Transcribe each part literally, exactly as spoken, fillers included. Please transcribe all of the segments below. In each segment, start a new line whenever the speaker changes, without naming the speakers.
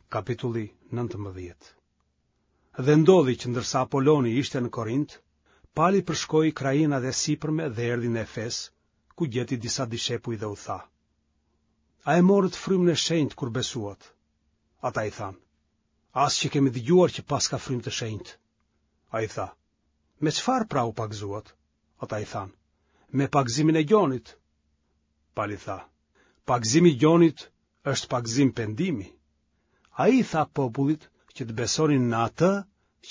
Kapitulli nëntëmbëdhjetë. Dhe ndodhi që ndërsa Apoloni ishte në Korint, Pali përshkoi krahinat e sipërme dhe erdhi në Efes, ku gjeti disa dishepuj dhe u tha: A e morët frymën e shenjtë kur besuat? Ata i thanë: As që kemi dëgjuar që paska frymë të shenjtë. Ai tha: Me çfarë pra u pagëzuat? Ata i thanë: Me pagëzimin e Gjonit. Pali tha: Pagëzimi i Gjonit është pagëzim pendimi. Ai i tha popullit që të besonin në atë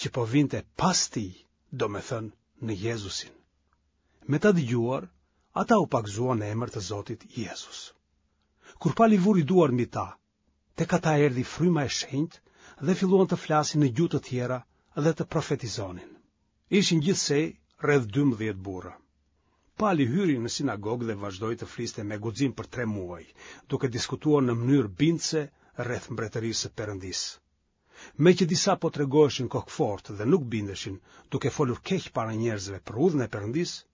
që po vinte pas tij, domethënë në Jezusin. Me ta dëgjuar, ata u pagëzuan në emër të Zotit Jezus. Kur Pali vuri duart mbi ta, tek ata erdhi fryma e shenjtë dhe filluan të flasin në gjuhë të tjera dhe të profetizonin. Ishin gjithsej rreth dymbëdhjetë burra. Pali hyri në sinagogë dhe vazhdoi të fliste me guxim për tre muaj, duke diskutuar në mënyrë bindëse rreth mbretërisë së Perëndisë. Meqë disa po tregoheshin kokëfortë dhe nuk bindeshin, duke folur keq para njerëzve për udhën e Perëndisë,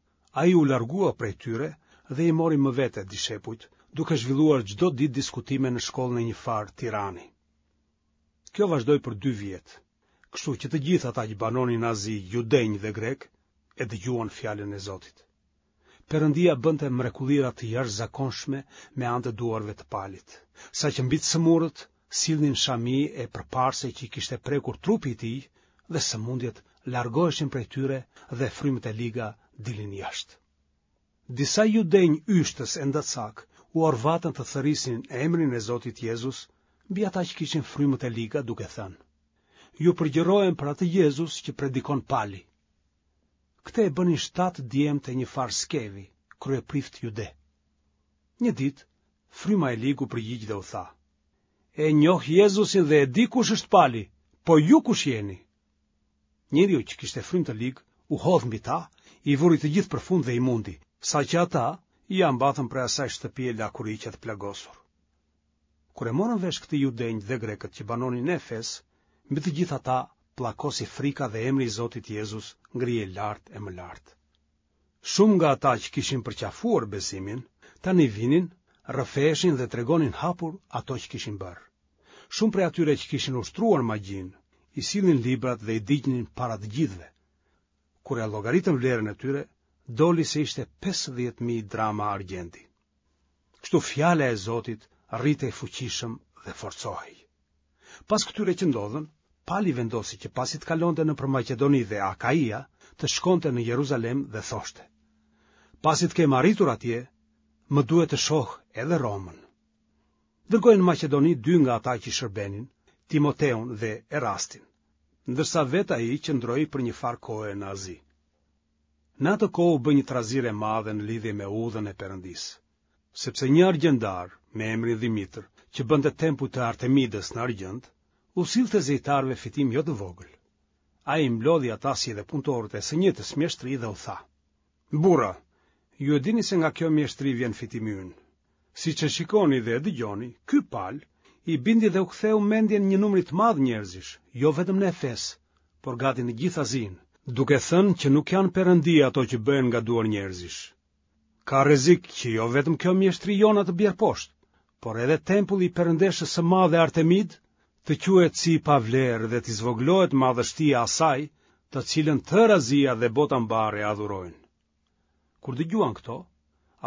ai u largua prej tyre dhe i mori më vete dishepujt, duke zhvilluar çdo ditë diskutime në shkollën e njëfarë Tirani. Kjo vazhdoi për dy vjet, kështu që të gjithë ata që banonin në Azi, judenj dhe grekë, e dëgjuan fjalën e Zotit. Perëndia bënte mrekullira të jashtëzakonshme me anë të duarve të Palit, saqë mbi të sëmurët sillnin shami e përparëse që i kishte prekur trupi i tij dhe sëmundjet largoheshin prej tyre dhe frymët e liga dilnin jashtë. Disa judenj yshtës endacakë u orvatën të thërrisnin emrin e Zotit Jezus mbi ata që kishin frymët e liga duke thënë: Ju përgjërohem për atë Jezus që predikon Pali. Këtë e bënin shtatë djemtë e njëfarë Skevi, kryeprift jude. Një ditë, fryma e ligë u përgjigj dhe u tha: E njoh Jezusin dhe e di kush është Pali, po ju kush jeni? Njeriu që kishte frymë të ligë u hodh mbi ta, i vuri të gjithë përfund dhe i mundi, saqë ata ia mbathën prej asaj shtëpie lakuriq e të plagosur. Kur e morën vesh këtë judenjtë dhe grekët që banonin në Efes, mbi të gjithë ata pllakosi frika dhe emri i Zotit Jezus ngrihej lart e më lart. Shumë nga ata që kishin përqafuar besimin, tani vinin, rrëfeheshin dhe tregonin hapur ato që kishin bërë. Shumë prej atyre që kishin ushtruar magjinë, i sillnin librat dhe i digjnin para të gjithëve. Kur e llogaritën vlerën e tyre, doli se ishte pesëdhjetë mijë drama argjendi. Kështu fjala e Zotit rritej fuqishëm dhe forcohej. Pas këtyre që ndodhën, Pali vendosi që pasi të kalonte nëpër Maqedoni dhe Akaia, të shkonte në Jeruzalem dhe thoshte: Pasi të kem arritur atje, më duhet të shoh edhe Romën. Dërgoi në Maqedoni dy nga ata që i shërbenin, Timoteun dhe Erastin, ndërsa vetë ai qëndroi për një farë kohe në Azi. Në atë kohë u bë një trazirë e madhe në lidhje me udhën e Perëndisë, sepse një argjendar me emrin Dhimitër, që bënte tempuj të Artemidës në argjend, u sillte zejtarëve fitim jo të vogël. Ai i mblodhi ata si edhe punëtorët e së njëjtës mjeshtri dhe u tha: Burra, ju e dini se nga kjo mjeshtri vjen fitimi ynë. Siç e shikoni dhe e dëgjoni, ky Pal i bindi dhe u ktheu mendjen një numri të madh njerëzish, jo vetëm në Efes, por gati në gjithë Azinë, duke thënë që nuk janë perëndi ato që bëhen nga duar njerëzish. Ka rrezik që jo vetëm kjo mjeshtri jona të bjerë poshtë, por edhe tempulli i perëndeshës së madhe Artemid të quhet si i pavlerë dhe t'i zvogëlohet madhështia asaj, të cilën tërë Azia dhe bota mbarë e adhurojnë. Kur dëgjuan këto,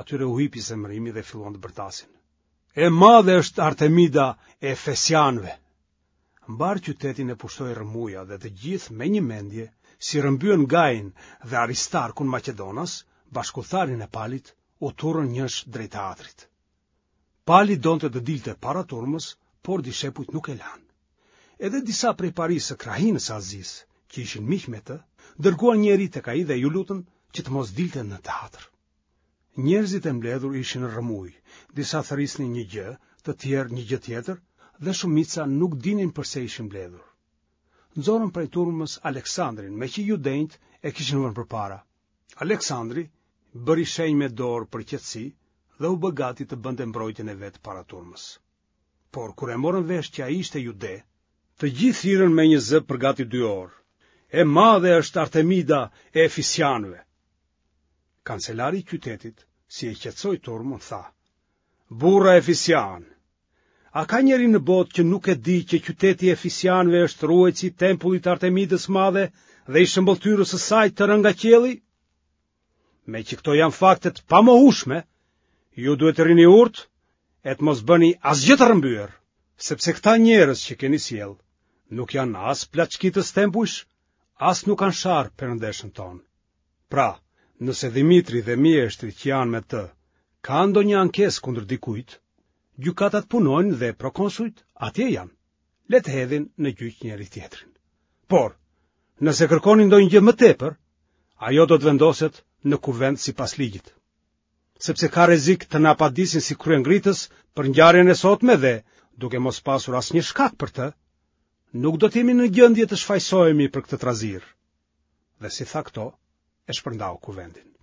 atyre u hipi zemërimi dhe filluan të bërtasin: E madhe është Artemida e Efesianëve! Mbarë qytetin e pushtoi rrëmuja dhe të gjithë me një mendje, si rrëmbyen Gajin dhe Aristarkun maqedonas, bashkudhëtarin e Palit, u turrën njësh drejt teatrit. Pali donte të dilte para turmës, por dishepujt nuk e lanë. Edhe disa prej parisë së krahinës së Azisë, që ishin miq me të, dërguan njeri tek ai dhe iu lutën që të mos dilte në teatr. Njerëzit e mbledhur ishin në rrëmujë, disa thërrisnin një gjë, të tjerë një gjë tjetër, dhe shumica nuk dinin përse ishin mbledhur. Nxorën prej turmës Aleksandrin, meqë judenjtë e kishin vënë përpara. Aleksandri bëri shenjë me dorë për qetësi dhe u bë gati të bënte mbrojtjen e vet para turmës. Por kur e morën vesh që ai ishte jude, të gjithë thirrën me një zë për gati dy orë: E madhe është Artemida e Efesianëve. Kancelari i qytetit, si e qetësoi turmën, tha: Burra Efesianë, A ka njeri në botë që nuk e di që qyteti i Efesianëve është ruajtësi i tempullit të Artemidës së Madhe dhe i shëmbëlltyrës së saj të rënë nga qielli? Meqë këto janë fakte të pamohueshme, ju duhet të rrini urtë e të mos bëni asgjë të rrëmbyer, sepse këta njerëz që keni sjellë nuk janë as plaçkitës tempujsh, as nuk kanë sharë perëndeshën tonë. Pra, nëse Dhimitri dhe mjeshtrit që janë me të kanë ndonjë ankesë kundër dikujt, gjykatat punojnë dhe prokonsujt atje janë. Le të hedhin në gjyq njëri-tjetrin. Por, nëse kërkoni ndonjë gjë më tepër, ajo do të vendoset në kuvend sipas ligjit. Sepse ka rrezik të na padisin si kryengritës për ngjarjen e sotme dhe, duke mos pasur asnjë shkak për të, nuk do të jemi në gjendje të shfajësohemi për këtë trazirë. Dhe si tha këto, e shpërndau kuvendin.